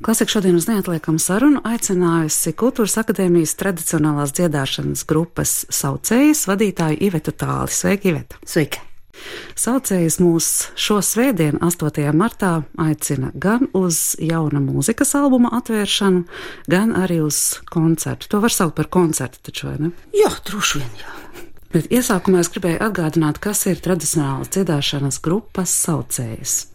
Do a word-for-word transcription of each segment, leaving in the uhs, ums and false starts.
Klasika šodien uz neatliekamu sarunu aicinājusi Kultūras akadēmijas tradicionālās dziedāšanas grupas Saucējas vadītāju Ivetu Tāli. Sveika, Iveta! Sveika! Saucējas mūs šo svētdienu, astotajā martā, aicina gan uz jauna mūzikas albuma atvēršanu, gan arī uz koncertu. To var saukt par koncertu taču, vai ne? Jā, droši vien, jā. Bet iesākumā es gribēju atgādināt, kas ir tradicionālas dziedāšanas grupas Saucējas.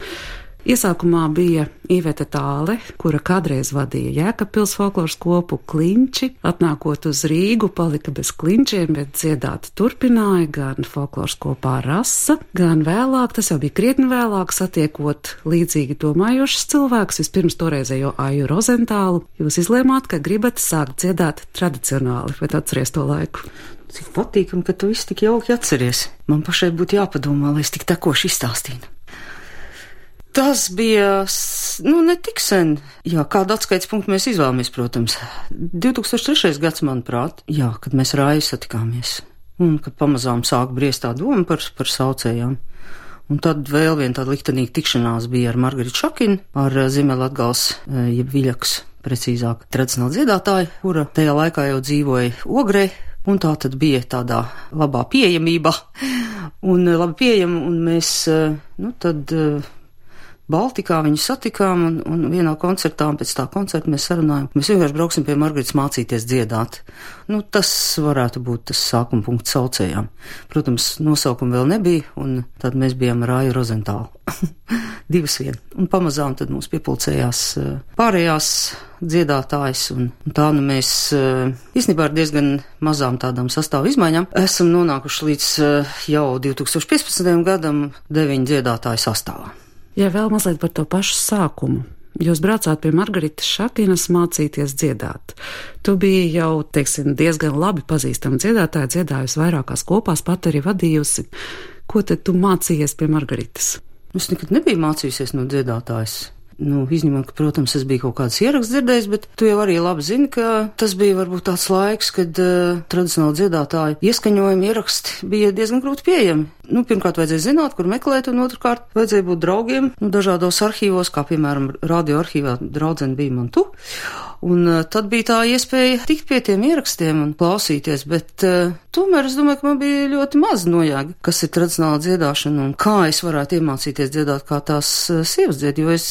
Iesākumā bija Iveta Tāle, kura kādreiz vadīja Jēkabpils folkloras kopu Klinči. Atnākot uz Rīgu, palika bez klinčiem, bet dziedāt turpināja gan folkloras kopā Rasa, gan vēlāk, tas jau bija krietni vēlāk, satiekot līdzīgi domājošus cilvēkus, vispirms toreizējo Aju Rozentālu. Jūs izlēmāt, ka gribat sākt dziedāt tradicionāli, vai atceries to laiku? Cik patīkam, ka tu viss tik jauki atceries. Man pašai būtu jāpadomā, lai es tik tekoši izstāstītu. Tas bija, nu, ne tik sen. Jā, kādu atskaites punktu mēs izvēlamies, protams. divi tūkstoši trešais gads, manuprāt, jā, kad mēs ar Aju satikāmies. Un kad pamazām sāk briest tā doma par, par Saucējām. Un tad vēl viena tāda liktenīga tikšanās bija ar Margaritu Šakinu, ar Ziemeļlatgales, jeb Viļakas, precīzāk, tradicionāla dziedātāja, kura tajā laikā jau dzīvoja Ogrē. Un tā tad bija tādā labā pieejamībā, un labi pieejama, un mēs, nu, tad Baltikā viņu satikām, un, un vienā koncertā, un pēc tā koncerta mēs sarunājām, mēs vienkārši brauksim pie Margaritas mācīties dziedāt. Nu, tas varētu būt tas sākuma punkts Saucējām. Protams, nosaukuma vēl nebija, un tad mēs bijām ar Aju Rozentālu. Divas vien. Un pamazām tad mums piepulcējās pārējās dziedātājs, un, un tā nu mēs īstenībā ar diezgan mazām tādām sastāvu izmaiņām esam nonākuši līdz jau divi tūkstoši piecpadsmitajam gadam deviņu dziedātāju sastāvā. Jā, vēl mazliet par to pašu sākumu. Jūs braucāt pie Margaritas Šakinas mācīties dziedāt. Tu biji jau, teiksim, diezgan labi pazīstama dziedātāja, dziedājusi vairākās kopās, pat arī vadījusi. Ko tad tu mācījies pie Margaritas? Es nekad nebiju mācījusies no dziedātājas. Nu, izņemot, ka, protams, es biju kaut kādas ieraksts dzirdējis, bet tu jau arī labi zini, ka tas bija varbūt tāds laiks, kad uh, tradicionāli dziedātāji ieskaņojumi, ieraksti bija diezgan grūti pieejami. Nu, pirmkārt, vajadzēja zināt, kur meklēt, un otrkārt, vajadzēja būt draugiem, nu, dažādos arhīvos, kā, piemēram, radio arhīvā draudzene bija man tu. Un uh, tad bija tā iespēja tikt pie tiem ierakstiem un klausīties, bet uh, tomēr es domāju, ka man bija ļoti maz nojāga, kas ir tradicionāla dziedāšana un kā es varētu iemācīties dziedāt, kā tās uh, sievas dzied, jo es,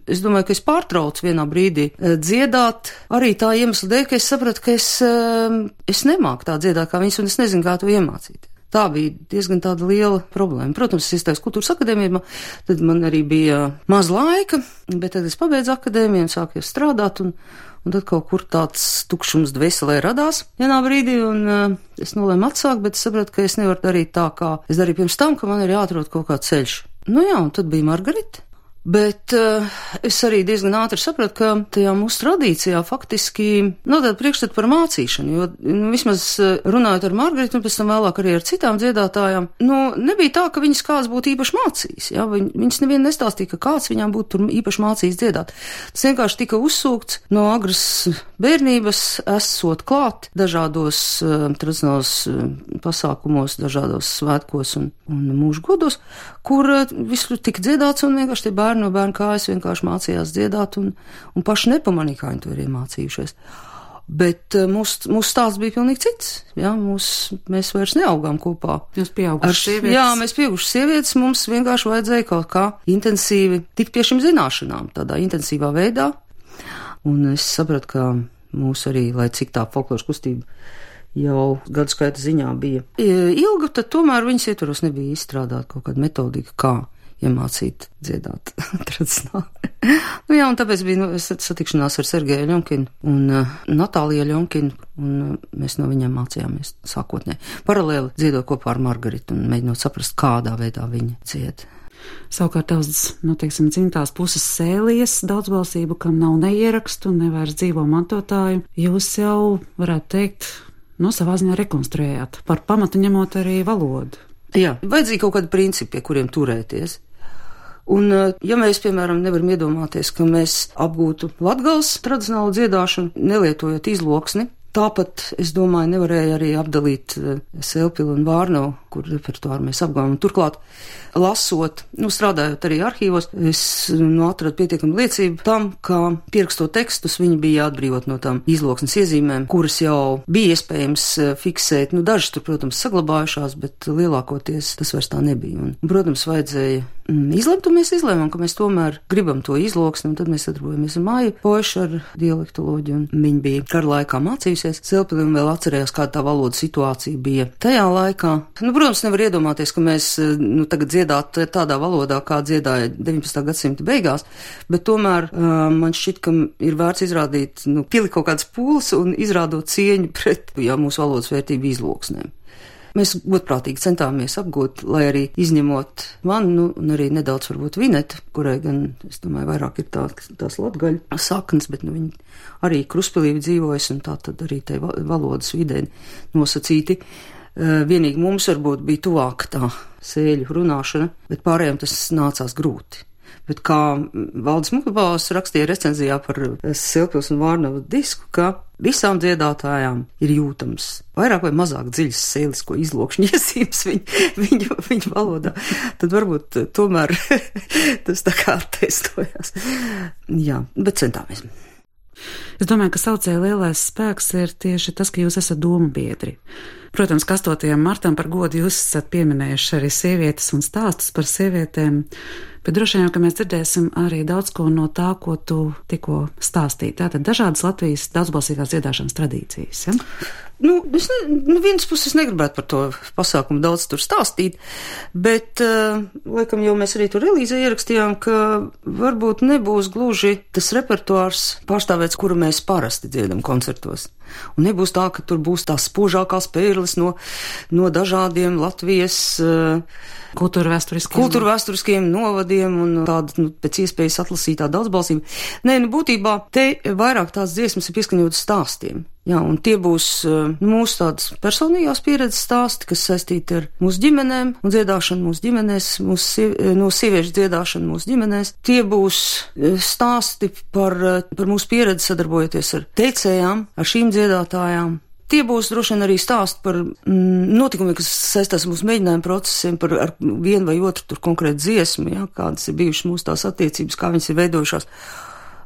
es domāju, ka es pārtraucu vienā brīdī uh, dziedāt arī tā iemesla dēļ, ka es sapratu, ka es, uh, es nemāku tā dziedāt kā viņas un es nezinu, kā to iemācīties. Tā bija diezgan tāda liela problēma. Protams, es iestājos Kultūras akadēmijā, tad man arī bija maz laika, bet tad es pabeidzu akadēmiju un sāku strādāt, un, un tad kaut kur tāds tukšums dvēselē radās vienā brīdī, un uh, es nolēmu atsākt, bet es sapratu, ka es nevaru darīt tā, kā es darīju pirms tam, ka man ir jāatrod kaut kāds ceļš. Nu jā, un tad bija Margarita. Bet uh, es arī diezgan ātri sapratu, ka tajā mūsu tradīcijā faktiski nav tāda priekšstata par mācīšanu, jo nu, vismaz runājot ar Margaritu un pēc tam vēlāk arī ar citām dziedātājām, nu, nebija tā, ka viņas kāds būtu īpaši mācījis, ja? Viņ, viņas nevien nestāstīja, ka kāds viņām būtu tur īpaši mācījis dziedāt. Tas vienkārši tika uzsūkts no agras bērnības, esot klāt dažādos uh, tradicionālos uh, pasākumos, dažādos svētkos un, un mūžu godos, kur uh, visu tika dziedāts un vienkārši tie bērni no bērnu kājas vienkārši mācījās dziedāt un, un paši nepamanīja, kā viņi to ir iemācījušies. Bet uh, mūsu mūs stāsts bija pilnīgi cits. Jā, mūs, mēs vairs neaugām kopā. Jūs pieaugušas sievietes? Jā, mēs pieaugušas sievietes, mums vienkārši vajadzēja kaut kā intensīvi tikt pie šīm zināšanām, tādā intensīvā veidā. Un es sapratu, ka mūs arī, lai cik tā folkloras kustība jau gadu skaita ziņā bija ilga, tad tomēr viņas ietvaros nebija izstrādāt kaut kāda metodika, kā iemācīt dziedāt tradicionāli. Nu jā, un tāpēc bija nu, satikšanās ar Sergeju Ļonkinu un uh, Natāliju Ļonkinu, un uh, mēs no viņiem mācījāmies sākotnē. Paralēli dziedot kopā ar Margaritu un mēģinot saprast, kādā veidā viņa dzied. Savukārt tavs, nu, teiksim, dzimtās puses Sēlijas daudzbalsību, kam nav neierakstu un nevairs dzīvo mantotāju, jūs jau, varētu teikt, no savā ziņā rekonstruējāt, par pamatu ņemot arī valodu. Jā, vajadzīgi kaut kādi principi, pie kuriem turēties. Un, ja mēs, piemēram, nevaram iedomāties, ka mēs apgūtu Latgales tradicionālu dziedāšanu, nelietojot izloksni, tāpat, es domāju, nevarēja arī apdalīt Sēlpilu un Vārnavu kur repertuāru mēs apgājām. Turklāt, lasot, nu, strādājot arī arhīvos, es nu, atradu pietiekami liecību tam, ka pierakstot tekstus, viņi bija atbrīvot no tām izloksnes iezīmēm, kuras jau bija iespējams fiksēt. Nu, dažas tur, protams, saglabājušās, bet lielākoties tas vairs tā nebija. Un, protams, vajadzēja mm, izlemt, un mēs izlēmām, ka mēs tomēr gribam to izloksni, un tad mēs sadarbojamies ar Māju Poešu ar dialektoloģiju, un viņa bija kara laikā mācījusies Silpili un vēl atcerējās, kāda tā valoda situācija bija tajā laikā. Nu, protams, nevar iedomāties, ka mēs nu, tagad dziedātu tādā valodā, kā dziedāja deviņpadsmitā gadsimta beigās, bet tomēr uh, man šķiet, ka ir vērts izrādīt, nu, pielikt kaut kādas pūles un izrādot cieņu pret, jā, mūsu valodas vērtību izloksnēm. Mēs godprātīgi centāmies apgūt, lai arī izņemot mani, nu, un arī nedaudz varbūt Vineta, kurai gan, es domāju, vairāk ir tā, tās latgaļu saknes, bet, nu, viņi arī Kruspilī dzīvojas, un tā tad arī tai valodas vidē nosacīti. Vienīgi mums varbūt bija tuvāk tā sēļu runāšana, bet pārējiem tas nācās grūti. Bet kā Valdis Mukabals rakstīja recenzijā par Silpils un Vārnavu disku, ka visām dziedātājām ir jūtams vairāk vai mazāk dziļas sēlisko izlokšņu iezīmes viņu, viņu, viņu valodā, tad varbūt tomēr tas tā kā attestojās. Jā, bet centāmies. Es domāju, ka saucēja lielais spēks ir tieši tas, ka jūs esat domu biedri. Protams, ka astotajam martam par godu jūs esat pieminējuši arī sievietes un stāstus par sievietēm, bet droši vien, ka mēs dzirdēsim arī daudz ko no tā, ko tu tikko stāstīji. Tātad dažādas Latvijas daudzbalsīgās dziedāšanas tradīcijas, ja? Nu, es ne, nu, vienas puses negribētu par to pasākumu daudz tur stāstīt, bet, uh, laikam jau mēs arī tur relīzē ierakstījām, ka varbūt nebūs gluži tas repertuārs pārstāvēts, kuru mēs parasti dziedam koncertos. Un nebūs tā, ka tur būs tās spožākās pērles no, no dažādiem Latvijas uh, kultūrvēsturiskiem kultūrvēsturiskiem novadiem un tāda, nu, pēc iespējas atlasītā daudzbalsība. Nē, nu, būtībā te vairāk tās dziesmas ir pieskaņotas stāstiem. Jā, un tie būs uh, mūsu tādas personīgās pieredzes stāsti, kas saistīti ar mūsu ģimenēm un dziedāšanu mūsu ģimenēs, mūsu siev, no sieviešu dziedāšanu mūsu ģimenēs. Tie būs uh, stāsti par, uh, par mūsu pieredzi sadarbojoties ar teicējām, ar šīm dziedātājām. Tie būs droši vien arī stāsti par mm, notikumiem, kas saistās mūsu mēģinājumu procesiem, par ar vienu vai otru tur konkrētu dziesmu, jā, kādas ir bijušas mūsu tās attiecības, kā viņas ir veidojušās.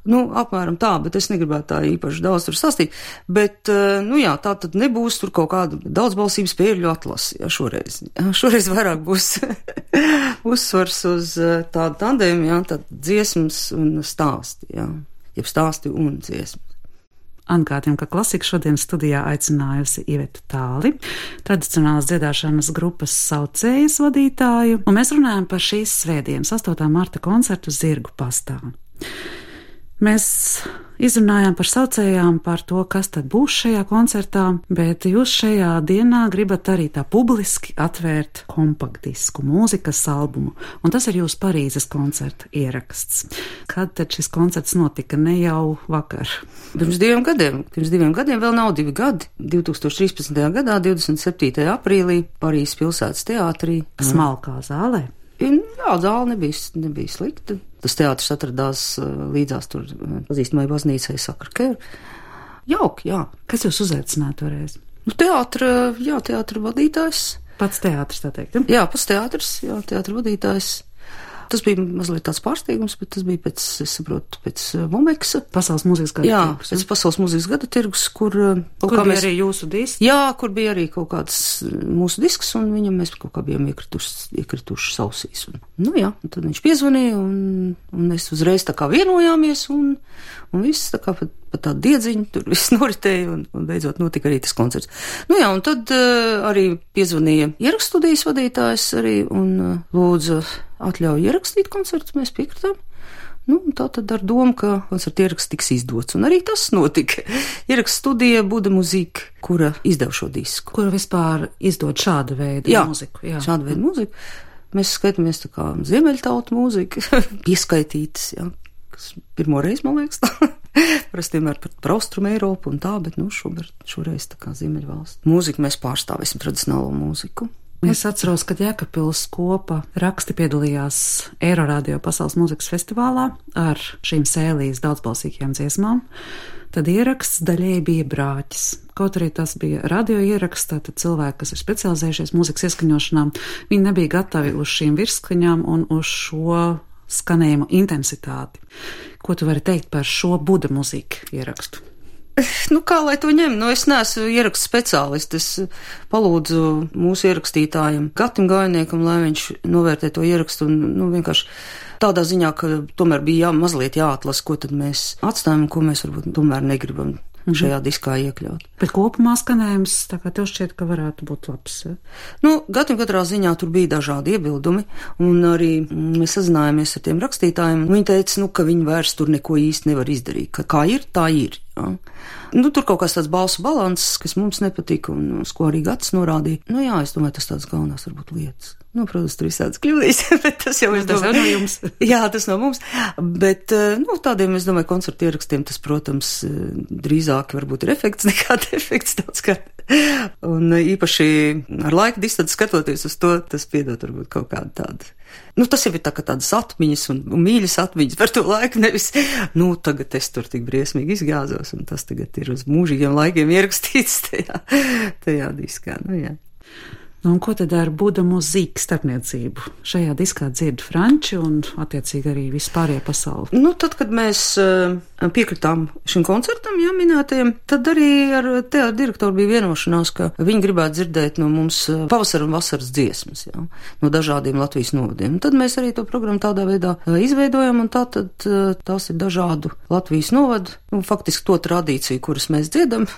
Nu, apmēram tā, bet es negribētu tā īpaši daudz tur stāstīt, bet, nu jā, tā tad nebūs tur kaut kāda daudzbalsības pērļu atlasi, jā, šoreiz. Jā, šoreiz vairāk būs uzsvars uz tādu tandēmu, jā, tad dziesmas un stāsti, jā, jeb stāsti un dziesmas. Atgādījām, ka Klasika šodien studijā aicinājusi Ivetu Tāli, tradicionālas dziedāšanas grupas Saucējas vadītāju, un mēs runājam par šīs svētdienas astotā marta koncertu Zirgu pastā. Mēs izrunājām par saucējām, par to, kas tad būs šajā koncertā, bet jūs šajā dienā gribat arī tā publiski atvērt kompaktdisku, mūzikas albumu, un tas ir jūsu Parīzes koncerta ieraksts. Kad tad šis koncerts notika? Ne jau vakar. Pirms diviem gadiem. Pirms diviem gadiem vēl nav divi gadi. divtūkstoš trīspadsmitajā gadā, divdesmit septītajā aprīlī, Parīzes pilsētas teātrī. Smalkā zālē. Jā, zāle nebija, nebija slikta. Tas teātris atradās līdzās tur pazīstamai baznīcai Sakarkeru. Jauki, jā. Kas jūs uzaicināja toreiz? Nu, teātra, jā, teātra vadītājs. Pats teātris, tā teikt? Ja? Jā, pats teātris, jā, teātra vadītājs. Tas bija mazliet tāds pārsteigums, bet tas bija pēc, es saprotu, pēc Momeksa. Pasaules mūzikas gada jā, tirgus. Jā, pēc Pasaules mūzikas gada tirgus, kur... Kur bija mēs, arī jūsu disks? Jā, kur bija arī kaut kāds mūsu disks, un viņam mēs kaut kā bijām iekrituši, iekrituši sausīs. Un, nu jā, un tad viņš piezvanīja, un, un mēs uzreiz tā kā vienojāmies, un, un viss tā kā pat, pat tādu diedziņu, tur viss noritēja, un, un beidzot notika arī tas koncerts. Nu jā, un tad uh, arī piezvanīja ierakststudijas vadītājs arī, un uh, lūdza atļauju ierakstīt koncertus, mēs piekritām. Nu, tā tad ar domu, ka koncerta ieraksts tiks izdots, un arī tas notika. Ieraksts studija Buda Muzika, kura izdev šo disku. Kura vispār izdod šādu veidu jā, mūziku. Jā, šādu veidu mūziku. Mēs skaitāmies tā kā ziemeļtautu mūzika, pieskaitītas, jā, kas pirmo reizi, man liekas, tā. Parasti vienmēr par, par Austrumu Eiropu un tā, bet, nu, šobrīd, šoreiz tā kā ziemeļvalsts. Mūziku mēs pārstāvēsim tradicionālo mūziku. Es atceros, kad Jēkabpils kopa raksti piedalījās Eiroradio pasaules mūzikas festivālā ar šīm sēlijas daudzbalsīgajām dziesmām. Tad ieraksts daļēji bija brāķis. Kaut arī tas bija radio ieraksts, tad cilvēki, kas ir specializējušies mūzikas ieskaņošanām, viņi nebija gatavi uz šīm virsskaņām un uz šo skanējuma intensitāti. Ko tu vari teikt par šo Buda mūziku ierakstu? Nu, kā lai to ņem? Nu, es neesmu ierakstu speciālists. Es palūdzu mūsu ierakstītājiem, Gatim Gainiekam, lai viņš novērtē to ierakstu un, nu, vienkārši tādā ziņā, ka tomēr bija jā, mazliet jāatlas, ko tad mēs atstājam un ko mēs varbūt tomēr negribam šajā diskā iekļaut. Bet kopumā skanējums, tā kā tev šķiet, ka varētu būt labs. Ja? Nu, Gatim katrā ziņā tur bija dažādi iebildumi, un arī mēs sazinājāmies ar tiem rakstītājiem. Viņi teica, nu, ka viņi vairs tur neko īsti nevar izdarīt, ka kā ir, tā ir. Ja? Nu, tur kaut kāds tāds balsu balanss, kas mums nepatika, un uz ko arī Gatis norādīja. Nu jā, es domāju, tas tāds galvenās varbūt lietas. Nu, protams, tur visādas kļūdīs, bet tas jau, es domāju, tas no jums. Jā, tas no mums, bet, nu, tādiem, es domāju, koncertu ierakstiem tas, protams, drīzāk varbūt ir efekts nekā defekts daudz kā. Un īpaši ar laika distanci skatoties uz to, tas piedod varbūt kaut kādu tādu. Nu, tas jau ir tā kā tādas atmiņas un, un mīļas atmiņas par to laiku, nevis, nu, tagad es tur tik briesmīgi izgāzos, un tas tagad ir uz mūžīgiem laikiem ierakstīts tajā, tajā diskā, nu jā. Nu, un ko tad ar Buda mūziku starpniecību? Šajā diskā dzird franči un attiecīgi arī vispārējā pasauli. Nu, tad, kad mēs uh, piekritām šim koncertam, jā, minētajiem, tad arī ar teātra direktoru bija vienošanās, ka viņi gribētu dzirdēt no mums pavasara un vasaras dziesmas, jā, no dažādiem Latvijas novadiem. Un tad mēs arī to programmu tādā veidā uh, izveidojam, un tā tad uh, tās ir dažādu Latvijas novadu, un faktiski to tradīciju, kuras mēs dziedam,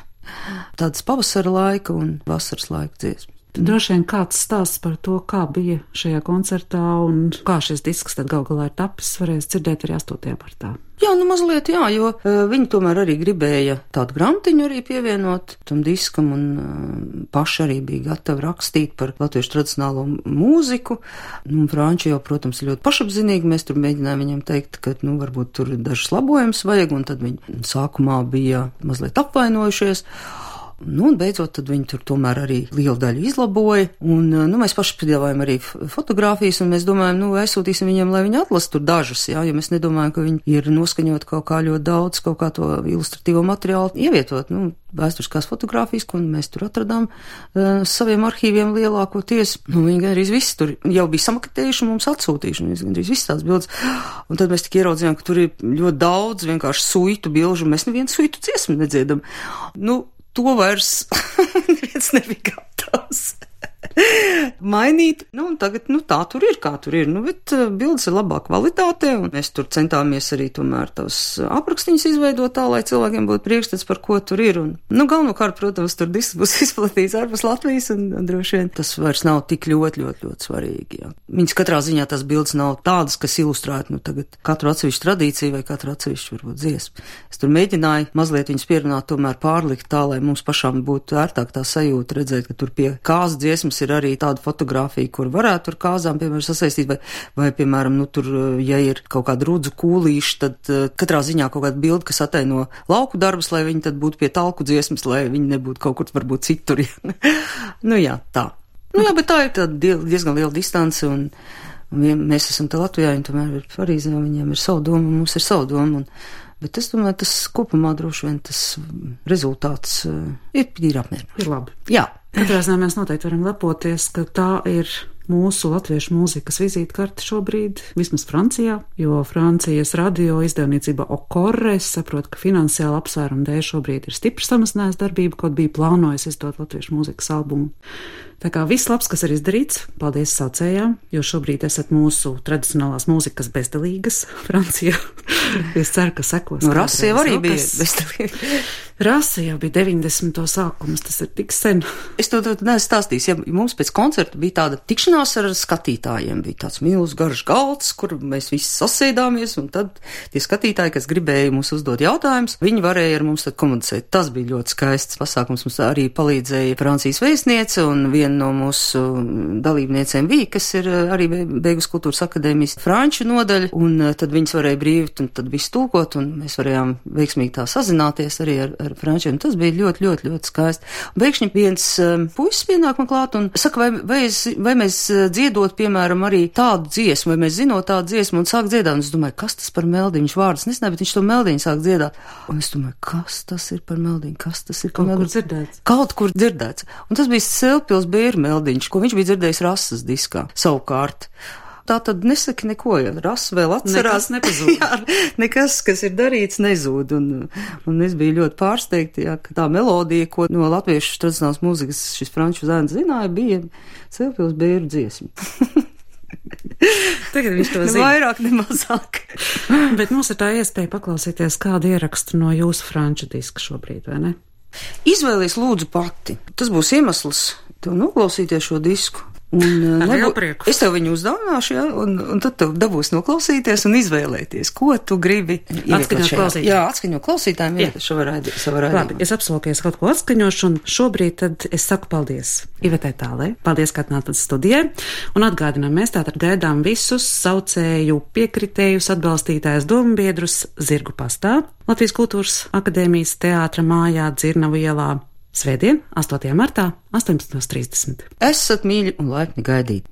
tādas pavasara laika un vasaras laika dziesmas. Droši vien kāds stāsts par to, kā bija šajā koncertā un kā šis disks tad gal galā ir tapis, varēs dzirdēt arī astotajā martā. Jā, nu mazliet jā, jo uh, viņi tomēr arī gribēja tādu grantiņu arī pievienot tam diskam un uh, paši arī bija gatavi rakstīt par latviešu tradicionālo mūziku. Nu, franči jau, protams, ļoti pašapzinīgi, mēs tur mēģinājām viņiem teikt, ka, nu, varbūt tur dažas labojumus vajag, un tad viņi sākumā bija mazliet apvainojušies. Nu, un beidzot, tad viņi tur tomēr arī lielu daļu izlaboja, un, nu, mēs paši piedāvājam arī fotogrāfijas, un mēs domājam, nu, aizsūtīsim viņiem, lai viņi atlas tur dažas, jā, jo mēs nedomājam, ka viņi ir noskaņot kaut kā ļoti daudz, kaut kā to ilustratīvo materiālu ievietot, nu, vēsturiskās fotogrāfijas, ko mēs tur atradām uh, saviem arhīviem lielākoties, nu, viņi gandrīz viss tur jau bija samaketējuši un mums atsūtījuši, un gandrīz viss tās bildes, un tad mēs tik ieraudzījām, ka tur ir ļoti daudz vienkārši suitu bilžu, un mēs nevienu suitu dziesmu nedziedam. Nu, to vairs neviens nebija gatavs mainīt. Nu, un tagad, nu, tā tur ir, kā tur ir. Nu, bet bildes ir labā kvalitātē, un mēs tur centāmies arī tomēr tos aprakstīņus izveidot tā, lai cilvēkiem būtu priekšstats, par ko tur ir. Un, nu, galvenokārt, protams, tur disks būs izplatīts ārpus Latvijas, un, un droši vien tas vairs nav tik ļoti, ļoti, ļoti svarīgi, jā. Viņas katrā ziņā tās bildes nav tādas, kas ilustrētu, nu, tagad katru atsevišķu tradīciju vai katru atsevišķu, varbūt, dziesmu. Es tur mēģināju mazliet viņas pierunāt, tomēr pārlikt tā, lai mums pašām būtu ērtāk tā sajūta redzēt, ka tur pie kāzas dziesmas ir arī tāda fotogrāfija, kur varētu ar kāzām, piemēram, sasaistīt, vai, vai, piemēram, nu, tur, ja ir kaut kāda rudzu kūlīša, tad uh, katrā ziņā kaut kāda bilde, kas ataino lauku darbus, lai viņi tad būtu pie talku dziesmas, lai viņi nebūtu kaut kur, varbūt citur. Nu, jā, tā. Nu, jā, bet tā ir tāda diezgan liela distance, un, un mēs esam te Latvijā, un tomēr ir Parīzē, un viņiem ir savu domu, un mums ir savu domu, un, bet es domāju, tas kopumā droši vien tas rezultāts uh, ir, ir apmierinošs. Ir labi. Jā. Katrā ziņā mēs noteikti varam lepoties, ka tā ir mūsu latviešu mūzikas vizītkarte šobrīd, vismaz Francijā, jo Francijas radio izdevniecība Okorre, es saprotu, ka finansiāli apsvērumu dēļ šobrīd ir stipri samazinājis darbību, kaut bija plānojis izdot latviešu mūzikas albumu. Tā kā viss labs, kas ir izdarīts, paldies saucējām, jo šobrīd esat mūsu tradicionālās mūzikas bezdalīgas Francijā. Es ceru, ka sekos. No Rasa jau arī bija bezdalīga. Rasa jau bija deviņdesmito sākums, tas ir tik sen. Es to, to neesmu stāstījis, ja mums pēc koncerta bija tāda tikšanās ar skatītājiem, bija tāds milz garš galds, kur mēs visi sasēdāmies, un tad tie skatītāji, kas gribēja mums uzdot jautājumus, viņi varēja ar mums tad komunicēt. Tas bija ļoti skaists pasākums, mums arī palīdzēja Francijas vēstniece un viena no mūsu dalībniecēm bija, kas ir arī Beigas kultūras akadēmijas franču nodaļa, un tad viņas varēja brīvi un tad visu tūkot, un mēs varējām veiksmīgi tā sazināties arī ar, ar frančiem. Tas bija ļoti, ļoti, ļoti skaisti. Beikšņi viens um, puisis pienāk man klāt un saka, vai, vai, es, vai mēs dziedot, piemēram, arī tādu dziesmu, vai mēs zinot tādu dziesmu un sāk dziedāt. Un es domāju, kas tas par meldiņu? Viņš vārdas nezināja, bet viņš to meldiņu sāk dziedāt. Un es domāju, kas tas ir par meldiņu? Kas tas ir par Kaut meldiņu? kur dzirdēts. Kaut kur dzirdēts. Un tas bija Silpils Bēru meldiņš, ko viņš bija dzirdējis Rasas diskā savukārt. Tā tad nesaka neko, ja Rasa vēl atcerās. Nekas nepazūd. Jā, nekas, kas ir darīts, nezūd. Un, un es biju ļoti pārsteigta, jā, ka tā melodija, ko no latviešu tradicionālas mūzikas šis franču zēns zināja, bija Silpils Bēru dziesma. Tagad viņš to ne zina. Vairāk, ne mazāk. Bet mums ir tā iespēja paklausīties kādu ierakstu no jūsu franču diska šobrīd, vai ne? Izvēlies lūdzu pati. Tas būs iemesls tev noklausīties šo disku. Un, Ar nebū... lielu prieku. Es tev viņu uzdāvināšu, ja, un, un tad tev dabūs noklausīties un izvēlēties, ko tu gribi. Atskaņot klausītājiem. Jā, atskaņot klausītājiem, jā, savā raidījumā. Labi, es apsolokies kaut ko atskaņošu, un šobrīd tad es saku paldies Ivetē Tālei. Paldies, ka atnācat studijai, un atgādinām, mēs tātad gaidām visus saucēju piekritējus, atbalstītājus dombiedrus Zirgu pastā, Latvijas Kultūras akadēmijas teātra mājā Dzirnavu ielā. Svētdien, astotajā martā, astoņpadsmit trīsdesmit. Esat mīļi un laipni gaidīti.